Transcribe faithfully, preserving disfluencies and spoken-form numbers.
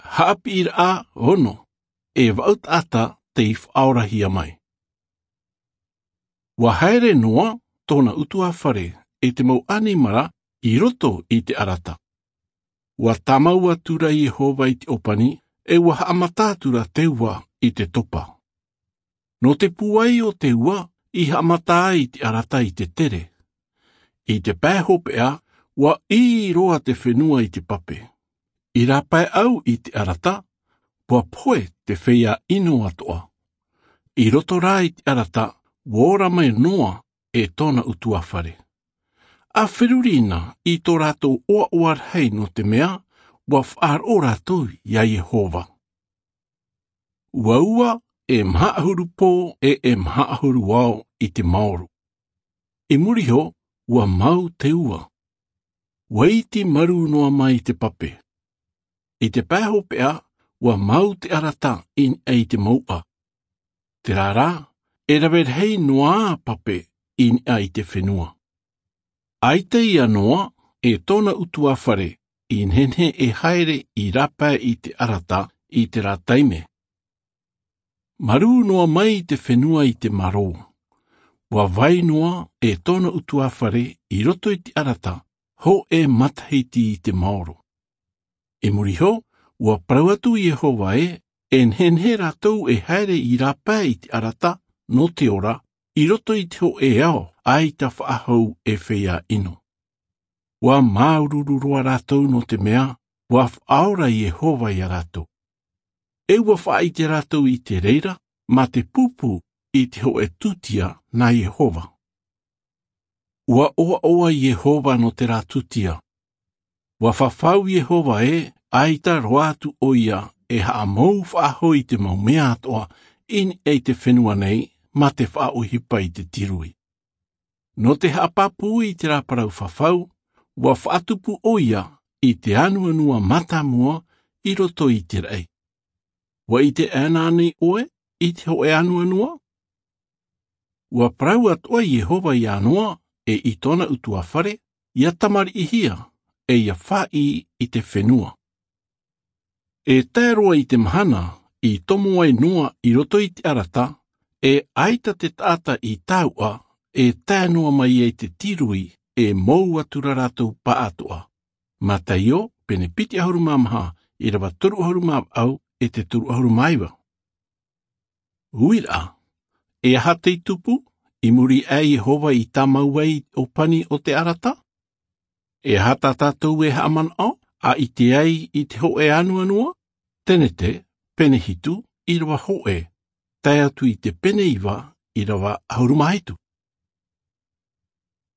Haʻapiʻiraʻa ono. E vaʻu taʻata tei faʻaorahia mai. Ua haere noa tōna utuafare e te mau ʻanimara i roto i te ʻarata. Ua tāmau atu ra iehova i te ʻōpani, e ua haʻamata atu ra te ua i te topa. Nō te pūai o te ua i haʻamata ai te ʻarata i te tere. I te pae hopeʻa, ua ʻī roa te fenua i te pape. I rāpae au i te ʻarata, ua pohe te feiā ʻino atoʻa. I roto rā i te ʻarata, ua ora mai noa e tōna utuafare. A feruri na i tō rātou ʻoaʻoa rahi nō te mea ua faʻaroʻo rātou iā iehova. Ua ua e maha ʻahuru pō e e maha ʻahuru ao i te maoro. I muri iho, ua mau te ua. Ua iti marū noa mai te pape. I te pae hopeʻa, ua mau te ʻarata i niʻa i te mouʻa. Terā rā, e rave rahi noa pape i niʻa i te fenua. ʻAita ia noa e tōna utuafare i nehenehe e haere i rāpae i te ʻarata i terā taime. Marū noa mai te fenua i te marō. Ua vai noa e tōna utuafare i roto i te ʻarata, hōʻē matahiti i te maoro. I muri iho, ua parau atu iehova ē, e nehenehe rātou e haere i rāpae i te ʻarata nō te ora i roto i te hōʻē ao ʻaita faʻahou e feiā ʻino. Ua māuruuru roa rātou nō te mea ua faʻaora iehova iā rātou. E ua faʻaʻite rātou i te reira mā te pūpū i te hōʻē tūtia nā iehova. Ua ʻoaʻoa iehova nō terā tūtia. Ua fafau iehova ē, ʻaita roa atu ʻoia e haʻamou faʻahou i te mau mea atoʻa i niʻa i te fenua nei mā te faʻaʻohipa i te tirui. Nō te haʻapāpū i terā parau fafau, ua faʻatupu ʻoia i te anuanua mātāmua i roto i te raʻi. Ua ʻite ʻana anei ʻoe i te hōʻē anuanua? Ua parau atoʻa iehova iā noa e i tōna utuafare, ia tamariʻihia e ia faʻaʻī i te fenua. E tae roa i te mahana i tomo ai noa i roto i te ʻarata, e ʻaita te taʻata i tāuʻa e tae noa mai ai te tirui e mou atu ra rātou pāʻatoʻa. Mataio pene piti ʻahuru mā maha, ʻīrava toru ʻahuru mā vaʻu e te toru ʻahuru mā iva. Uiraʻa, e aha tei tupu i muri aʻe iehova i tāmau ai i te ʻōpani o te ʻarata? E aha tā tātou e haʻamanaʻo a ʻite ai i te hōʻē anuanua? Tenete pene hitu, ʻīrava hōʻē tae atu i te pene iva, ʻīrava ʻahuru mā hitu.